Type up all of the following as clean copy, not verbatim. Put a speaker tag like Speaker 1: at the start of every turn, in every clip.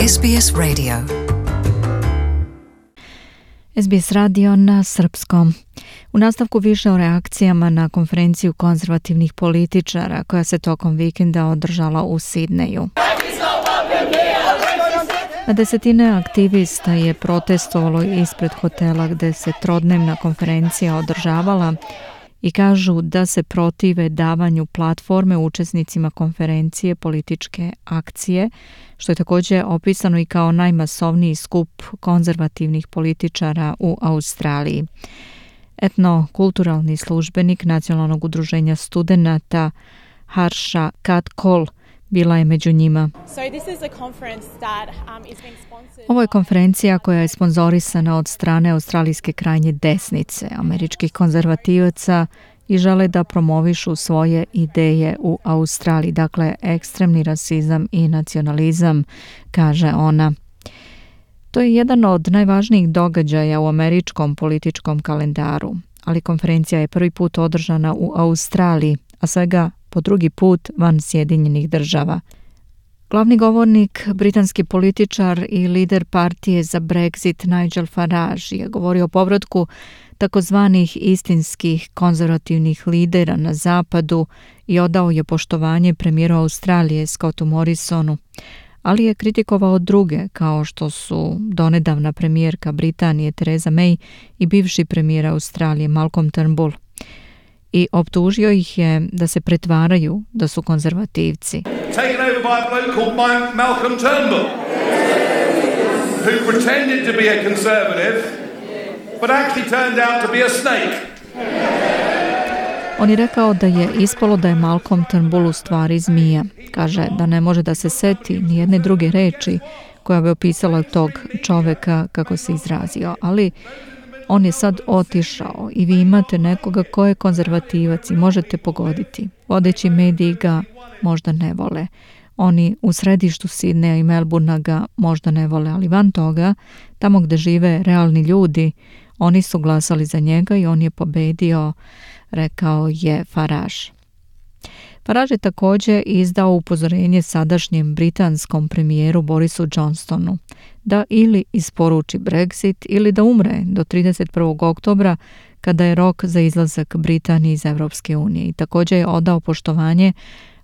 Speaker 1: SBS Radio.
Speaker 2: SBS radio na srpskom. U nastavku više o reakcijama na konferenciju konzervativnih političara koja se tokom vikenda održala u Sidneju. Na desetine aktivista je protestovalo ispred hotela gde se trodnevna konferencija održavala i kažu da se protive davanju platforme učesnicima konferencije političke akcije, što je također opisano i kao najmasovniji skup konzervativnih političara u Australiji. Etnokulturalni službenik Nacionalnog udruženja studenata Harsha Katkol bila je među njima. Ovo je konferencija koja je sponzorisana od strane australijske krajnje desnice, američkih konzervativaca i žele da promovišu svoje ideje u Australiji, dakle ekstremni rasizam i nacionalizam, kaže ona. To je jedan od najvažnijih događaja u američkom političkom kalendaru, ali konferencija je prvi put održana u Australiji, a svega po drugi put van Sjedinjenih država. Glavni govornik, britanski političar i lider partije za Brexit Nigel Farage je govorio o povratku takozvanih istinskih konzervativnih lidera na zapadu i odao je poštovanje premijeru Australije Scottu Morrisonu, ali je kritikovao druge kao što su donedavna premijerka Britanije Theresa May i bivši premijer Australije Malcolm Turnbull. I optužio ih je da se pretvaraju da su konzervativci.
Speaker 3: Taken over by a bloke called Malcolm Turnbull, who pretended to be a conservative, but actually turned out to be a snake.
Speaker 2: On je rekao da je ispalo da je Malcolm Turnbull u stvari zmija. Kaže da ne može da se seti ni jedne druge reči koja bi opisala tog čoveka kako se izrazio, ali on je sad otišao i vi imate nekoga ko je konzervativac i možete pogoditi. Vodeći mediji ga možda ne vole. Oni u središtu Sidneja i Melbournea ga možda ne vole, ali van toga, tamo gde žive realni ljudi, oni su glasali za njega i on je pobedio, rekao je Farage. Farage je također izdao upozorenje sadašnjem britanskom premijeru Borisu Johnsonu da ili isporuči Brexit ili da umre do 31. oktobra kada je rok za izlazak Britanije iz Evropske unije i također je odao poštovanje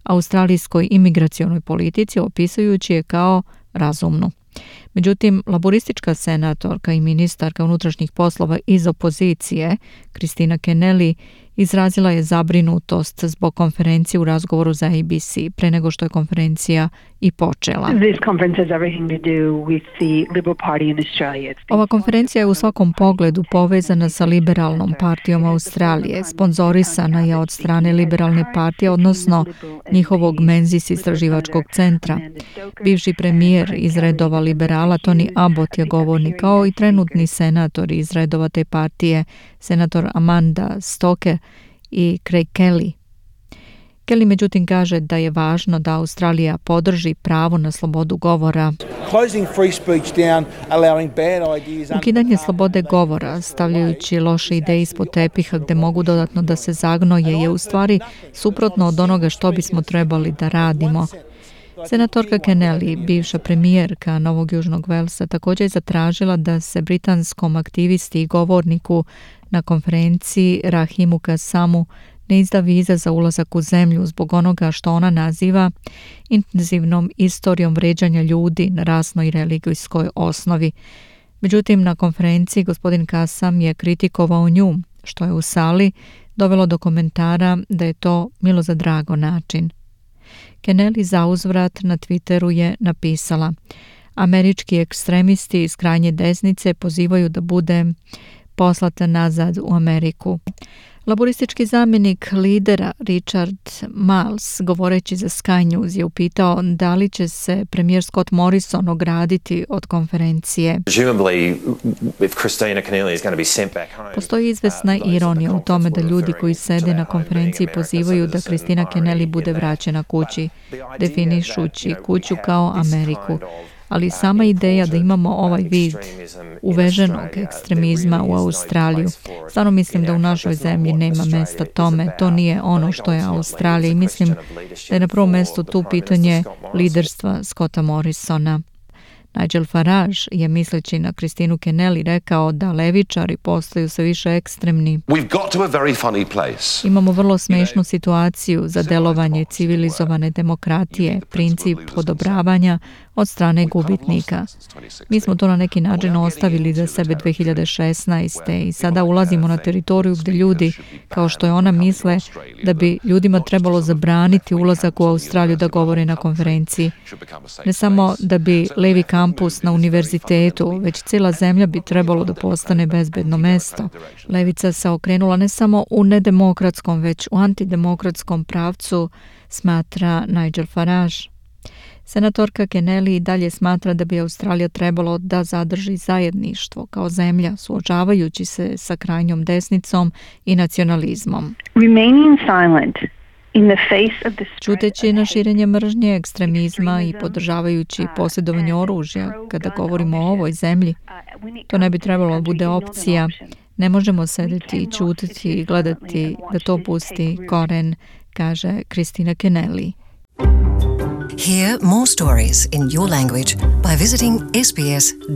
Speaker 2: australijskoj imigracionoj politici opisujući je kao razumnu. Međutim, laboristička senatorka i ministarka unutrašnjih poslova iz opozicije, Kristina Kennelly, izrazila je zabrinutost zbog konferencije u razgovoru za ABC pre nego što je konferencija i počela. Ova konferencija je u svakom pogledu povezana sa Liberalnom partijom Australije. Sponzorisana je od strane Liberalne partije, odnosno njihovog Menzies istraživačkog centra. Bivši premijer iz redova liberala Tony Abbott je govornik, kao i trenutni senator iz redova te partije, senator Amanda Stoker i Craig Kelly. Kelly međutim kaže da je važno da Australija podrži pravo na slobodu govora. Ukidanje slobode govora, stavljajući loše ideje ispod tepiha gde mogu dodatno da se zagnoje, je u stvari suprotno od onoga što bismo trebali da radimo. Senatorka Kennelly, bivša premijerka Novog Južnog Velsa, također je zatražila da se britanskom aktivisti i govorniku na konferenciji Rahimu Kassamu ne izda viza za ulazak u zemlju zbog onoga što ona naziva intenzivnom istorijom vređanja ljudi na rasnoj i religijskoj osnovi. Međutim, na konferenciji gospodin Kassam je kritikovao nju, što je u sali dovelo do komentara da je to milo za drago način. Kennelly zauzvrat na Twitteru je napisala: američki ekstremisti iz krajnje desnice pozivaju da bude poslata nazad u Ameriku. Laboristički zamjenik lidera Richard Marles, govoreći za Sky News, je upitao da li će se premijer Scott Morrison ograditi od konferencije. Postoji izvesna ironija u tome da ljudi koji sede na konferenciji pozivaju da Kristina Kennelly bude vraćena kući, definišući kuću kao Ameriku. Ali sama ideja da imamo ovaj vid uveženog ekstremizma u Australiju, stvarno mislim da u našoj zemlji nema mesta tome, to nije ono što je Australija i mislim da je na prvom mjestu tu pitanje liderstva Scotta Morrisona. Nigel Farage je misleći na Kristinu Kennelly rekao da levičari postaju sve više ekstremni. Imamo vrlo smešnu situaciju za delovanje civilizovane demokratije, princip odobravanja od strane gubitnika. Mi smo to na neki način ostavili za sebe 2016. i sada ulazimo na teritoriju gdje ljudi, kao što je ona, misle da bi ljudima trebalo zabraniti ulazak u Australiju da govore na konferenciji. Ne samo da bi levi kampus na univerzitetu, već cijela zemlja bi trebalo da postane bezbedno mesto. Levica se okrenula ne samo u nedemokratskom, već u antidemokratskom pravcu, smatra Nigel Farage. Senatorka Kennelly dalje smatra da bi Australija trebalo da zadrži zajedništvo kao zemlja, suočavajući se sa krajnjom desnicom i nacionalizmom. Čuteći na širenje mržnje, ekstremizma i podržavajući posjedovanje oružja, kada govorimo o ovoj zemlji, to ne bi trebalo bude opcija. Ne možemo sedeti i čutiti i gledati da to pusti koren, kaže Kristina Kennelly.
Speaker 1: Hear more stories in your language by visiting sbs.com.au.